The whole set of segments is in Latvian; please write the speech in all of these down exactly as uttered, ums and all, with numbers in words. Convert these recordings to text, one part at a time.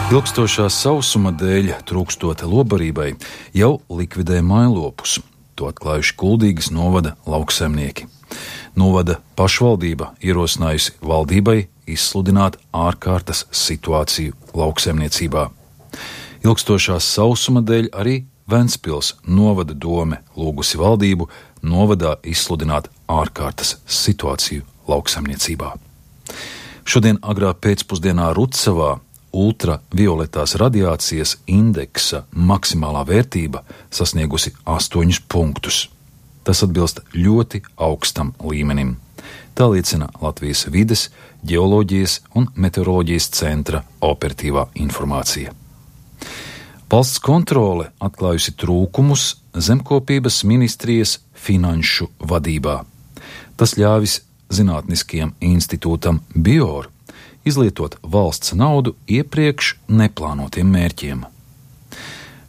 Ilgstošā sausuma dēļ, trūkstot lobarībai, jau likvidē mājlopus. To atklājuši Kuldīgas novada lauksaimnieki. Novada pašvaldība ierosinājusi valdībai izsludināt ārkārtas situāciju lauksaimniecībā. Ilgstošā sausuma dēļ arī Ventspils novada dome lūgusi valdību novadā izsludināt ārkārtas situāciju lauksaimniecībā. Šodien agrā pēcpusdienā Rucavā ultravioletās radiācijas indeksa maksimālā vērtība sasniegusi astoņus punktus. Tas atbilst ļoti augstam līmenim. Tā liecina Latvijas vides, ģeoloģijas un meteoroloģijas centra operatīvā informācija. Valsts kontrole atklājusi trūkumus Zemkopības ministrijas finanšu vadībā. Tas ļāvis Zinātniskajam institūtam BIOR izlietot valsts naudu iepriekš neplānotiem mērķiem.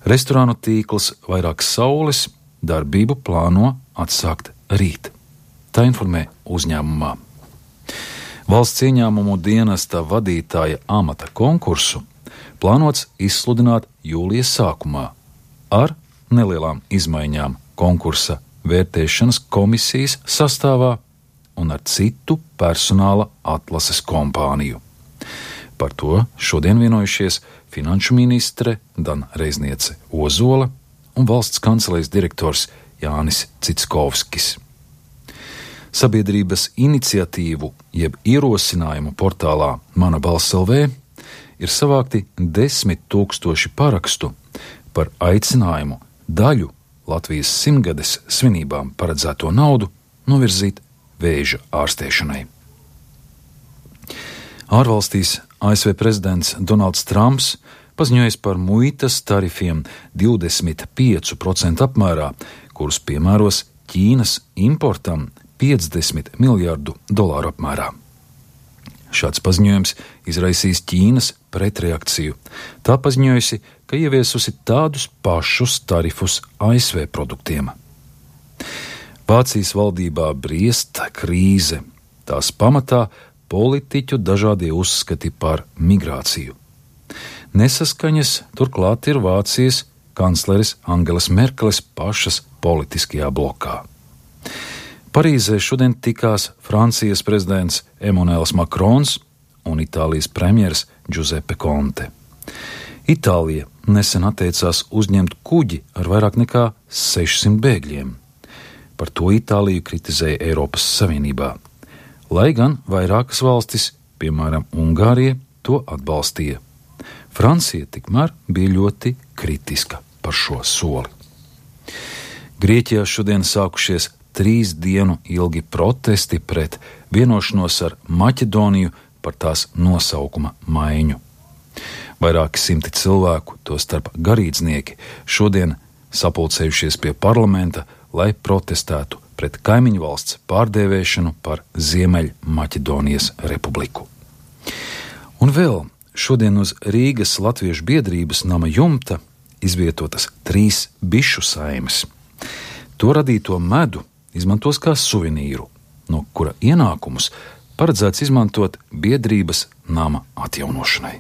Restorānu tīkls Vairāk Saules darbību plāno atsākt rīt. Tā informē uzņēmumā. Valsts ieņēmumu dienesta vadītāja amata konkursu plānots izsludināt jūlijas sākumā ar nelielām izmaiņām konkursa vērtēšanas komisijas sastāvā un ar citu personāla atlases kompāniju. Par to šodien vienojušies finanšu ministre Dana Reizniece Ozola un valsts kancelējas direktors Jānis Citskovskis. Sabiedrības iniciatīvu jeb ierosinājumu portālā Mana balss L V ir savākti desmit tūkstoši parakstu par aicinājumu daļu Latvijas simtgades svinībām paredzēto naudu novirzīt vēža ārstēšanai. Ārvalstīs A S V prezidents Donalds Trumps paziņojis par muitas tarifiem divdesmit pieci procenti apmērā, kurus piemēros Ķīnas importam piecdesmit miljardu dolāru apmērā. Šāds paziņojums izraisīs Ķīnas pretreakciju. Tā paziņojusi, ka ieviesusi tādus pašus tarifus A S V produktiem. Vācijas valdībā briest krīze. Tās pamatā politiķu dažādie uzskati par migrāciju. Nesaskaņas turklāt ir Vācijas kancleres Angelas Merkeles pašas politiskajā blokā. Parīzē šodien tikās Francijas prezidents Emmanuels Macrons un Itālijas premjers Giuseppe Conte. Itālija nesen atteicās uzņemt kuģi ar vairāk nekā sešsimt bēgļiem. Par to Itāliju kritizēja Eiropas Savienībā, lai gan vairākas valstis, piemēram Ungārija, to atbalstīja. Francija tikmēr bija ļoti kritiska par šo soli. Grieķijā šodien sākušies trīs dienu ilgi protesti pret vienošanos ar Maķedoniju par tās nosaukuma maiņu. Vairāki simti cilvēku, tostarp garīdznieki, šodien sapulcējušies pie parlamenta, lai protestētu pret kaimiņu valsts pārdēvēšanu par Ziemeļmaķedonijas republiku. Un vēl šodien uz Rīgas Latviešu biedrības nama jumta izvietotas trīs bišu saimes. To radīto medu izmantos kā suvenīru, no kura ienākumus paredzēts izmantot biedrības nama atjaunošanai.